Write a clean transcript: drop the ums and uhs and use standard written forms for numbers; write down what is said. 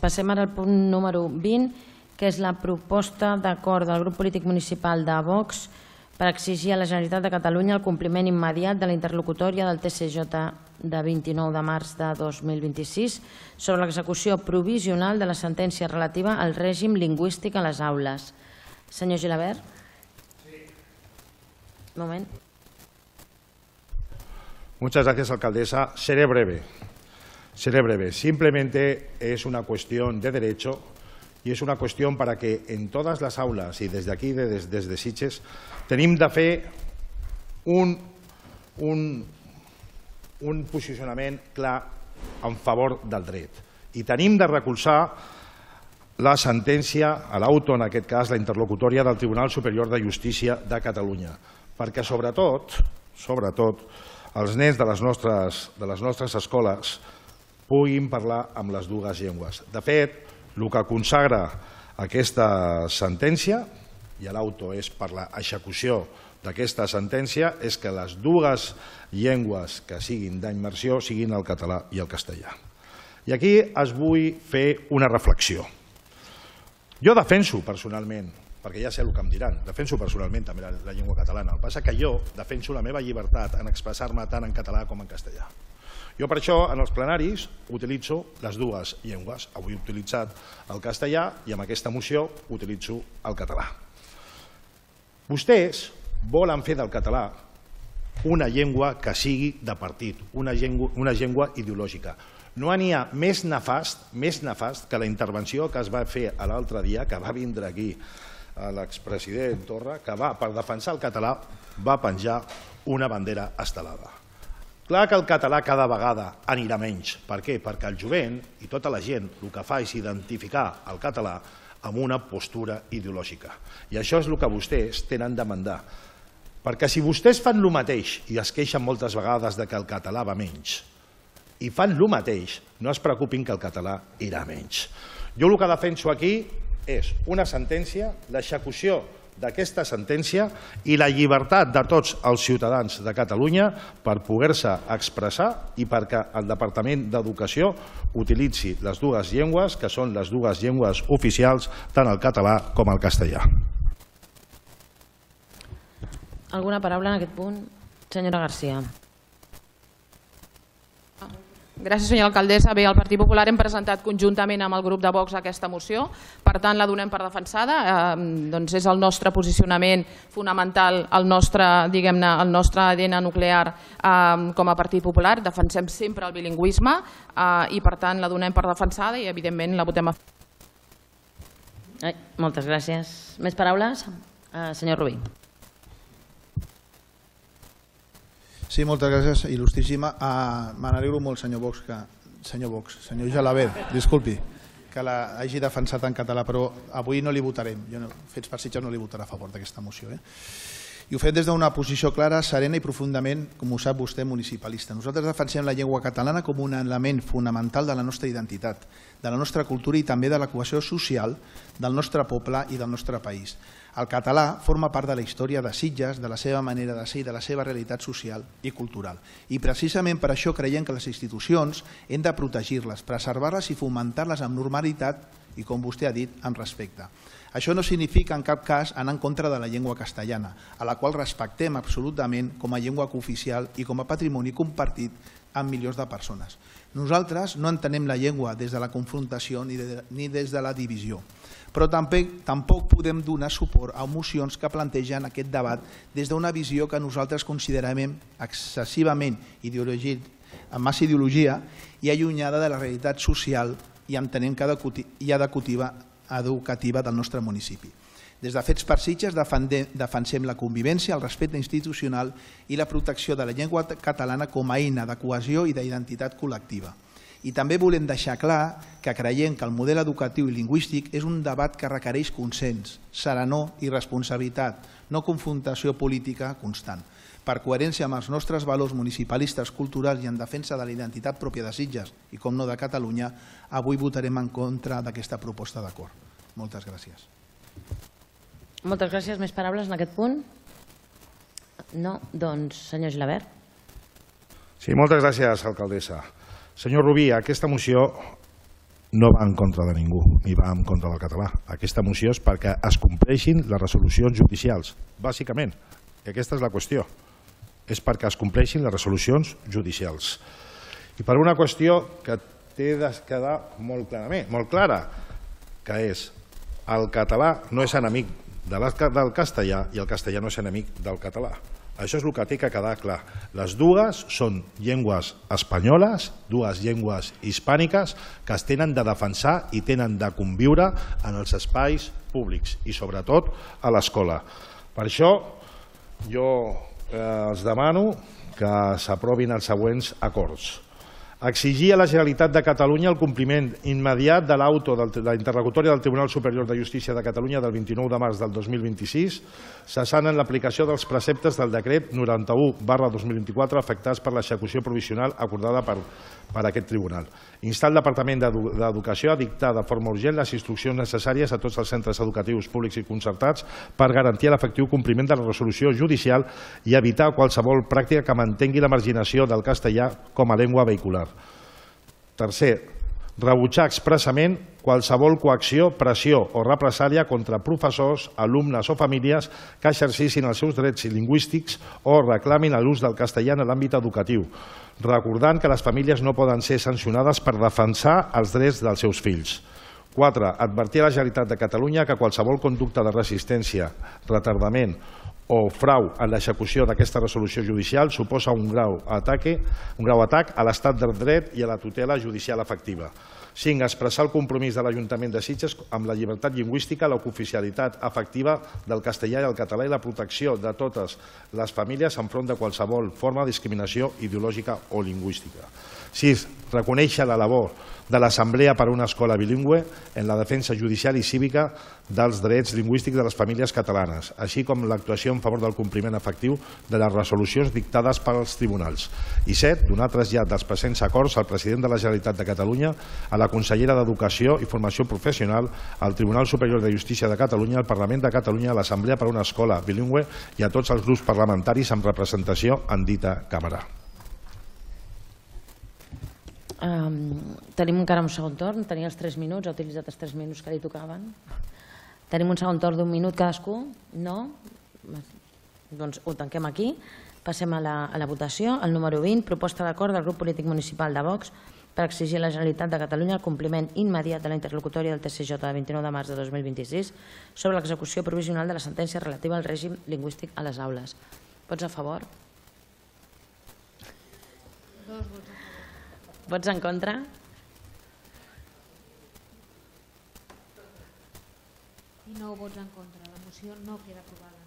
Passem ara al punt número 20, que és la proposta d'acord del grup polític municipal de Vox per exigir a la Generalitat de Catalunya el compliment immediat de la interlocutòria del TCJ de 29 de març de 2026 sobre l'execució provisional de la sentència relativa al règim lingüístic a les aules. Senyor Gilabert. Un moment. Muchas gracias, alcaldesa. Seré breve. Simplemente es una cuestión de derecho y es una cuestión para que en todas las aulas y desde aquí, desde Sitges, tenim de fer un posicionament clar en favor del dret i tenim de recolzar la sentència, a l'auto, en aquest cas, la interlocutòria del Tribunal Superior de Justícia de Catalunya, perquè sobretot els nens de les nostres escoles puguin parlar amb les dues llengües. De fet, el que consagra aquesta sentència, i l'auto és per l'execució d'aquesta sentència, és que les dues llengües que siguin d'immersió siguin el català i el castellà. I aquí es vull fer una reflexió. Jo defenso personalment, perquè ja sé el que em diran, defenso personalment també la llengua catalana. El que passa és que jo defenso la meva llibertat en expressar-me tant en català com en castellà. Jo per això en els plenaris utilitzo les dues llengües. Avui he utilitzat el castellà i amb aquesta moció utilitzo el català. Vostès volen fer del català una llengua que sigui de partit, una llengua ideològica. No n'hi ha més nefast que la intervenció que es va fer l'altre dia, que va vindre aquí l'expresident Torra, que per defensar el català va penjar una bandera estelada. Clar que el català cada vegada anirà menys. Per què? Perquè el jovent i tota la gent el que fa és identificar el català amb una postura ideològica. I això és el que vostès tenen de mandar. Perquè si vostès fan el mateix, i es queixen moltes vegades que el català va menys, i fan el mateix, no es preocupin que el català irà menys. Jo el que defenso aquí és una sentència, l'execució d'aquesta sentència i la llibertat de tots els ciutadans de Catalunya per poder-se expressar i perquè el Departament d'Educació utilitzi les dues llengües, que són les dues llengües oficials, tant el català com el castellà. Alguna paraula en aquest punt? Senyora Garcia. Gràcies, senyora alcaldessa. Bé, el Partit Popular hem presentat conjuntament amb el grup de Vox aquesta moció, per tant la donem per defensada. És el nostre posicionament fonamental, el nostre ADN nuclear com a Partit Popular. Defensem sempre el bilingüisme i per tant la donem per defensada i evidentment la votem a favor. Moltes gràcies. Més paraules? Senyor Rubí. Sí, moltes gràcies, il·lustríssima. Me n'alegro molt, senyor Gilabert, disculpi, que l'hagi defensat en català, però avui no li votarem. Fets per Sitges no li votarà a favor d'aquesta moció. I ho fem des d'una posició clara, serena i profundament, com ho sap vostè, municipalista. Nosaltres defensem la llengua catalana com un element fonamental de la nostra identitat, de la nostra cultura i també de la cohesió social del nostre poble i del nostre país. El català forma part de la història de Sitges, de la seva manera de ser i de la seva realitat social i cultural. I precisament per això creiem que les institucions hem de protegir-les, preservar-les i fomentar-les amb normalitat i, com vostè ha dit, amb respecte. Això no significa en cap cas anar en contra de la llengua castellana, a la qual respectem absolutament com a llengua cooficial i com a patrimoni compartit amb milions de persones. Nosaltres no entenem la llengua des de la confrontació ni des de la divisió, però tampoc podem donar suport a mocions que plantegen aquest debat des d'una visió que nosaltres considerem excessivament amb massa ideologia i allunyada de la realitat social i entenem que educativa del nostre municipi. Des de Fets per Sitges defensem la convivència, el respecte institucional i la protecció de la llengua catalana com a eina de cohesió i d'identitat col·lectiva. I també volem deixar clar que creiem que el model educatiu i lingüístic és un debat que requereix consens, serenor i responsabilitat, no confrontació política constant. Per coherència amb els nostres valors municipalistes, culturals i en defensa de la identitat pròpia de Sitges i, com no, de Catalunya, avui votarem en contra d'aquesta proposta d'acord. Moltes gràcies. Moltes gràcies. Més paraules en aquest punt? No? Doncs, senyor Gilabert. Sí, moltes gràcies, alcaldessa. Senyor Rubí, aquesta moció no va en contra de ningú, ni va en contra del català. Aquesta moció és perquè es compleixin les resolucions judicials, bàsicament. I aquesta és la qüestió. És perquè es compleixin les resolucions judicials. I per una qüestió que té de quedar molt clara, que és el català no és enemic del castellà i el castellà no és enemic del català. Això és el que té que quedar clar. Les dues són llengües espanyoles, dues llengües hispàniques que es tenen de defensar i tenen de conviure en els espais públics i sobretot a l'escola. Per això jo els demano que s'aprovin els següents acords. Exigir a la Generalitat de Catalunya el compliment immediat de l'auto de la interlocutòria del Tribunal Superior de Justícia de Catalunya del 29 de març del 2026, cessant en l'aplicació dels preceptes del decret 91/2024 afectats per l'execució provisional acordada per aquest tribunal. Instar el Departament d'Educació a dictar de forma urgent les instruccions necessàries a tots els centres educatius públics i concertats per garantir l'efectiu compliment de la resolució judicial i evitar qualsevol pràctica que mantengui la marginació del castellà com a llengua vehicular. Tercer, rebutjar expressament qualsevol coacció, pressió o represàlia contra professors, alumnes o famílies que exercissin els seus drets lingüístics o reclamin l'ús del castellà en l'àmbit educatiu, recordant que les famílies no poden ser sancionades per defensar els drets dels seus fills. 4. Advertir a la Generalitat de Catalunya que qualsevol conducta de resistència, retardament o frau en l'execució d'aquesta resolució judicial suposa un grau atac a l'estat de dret i a la tutela judicial efectiva. 5. Expressar el compromís de l'Ajuntament de Sitges amb la llibertat lingüística, la cooficialitat efectiva del castellà i el català i la protecció de totes les famílies enfront de qualsevol forma de discriminació ideològica o lingüística. 6. Reconèixer la labor de l'Assemblea per a una escola bilingüe en la defensa judicial i cívica dels drets lingüístics de les famílies catalanes, així com l'actuació en favor del compliment efectiu de les resolucions dictades pels tribunals. I 7. Donar trasllat dels presents acords al president de la Generalitat de Catalunya, a la consellera d'Educació i Formació Professional, al Tribunal Superior de Justícia de Catalunya, al Parlament de Catalunya, a l'Assemblea per a una escola bilingüe i a tots els grups parlamentaris amb representació en dita càmera. Tenim encara un segon torn, tenia els 3 minuts, ha utilitzat els 3 minuts que li tocaven. Tenim un segon torn d'1 minut cadascú? No? Doncs ho tanquem aquí. Passem a la votació. El número 20, proposta d'acord del grup polític municipal de Vox per exigir a la Generalitat de Catalunya el compliment immediat de la interlocutòria del TSJ de 29 de març de 2026 sobre l'execució provisional de la sentència relativa al règim lingüístic a les aules. Vots a favor? Vots en contra? I 9 vots en contra. La moció no queda aprovada.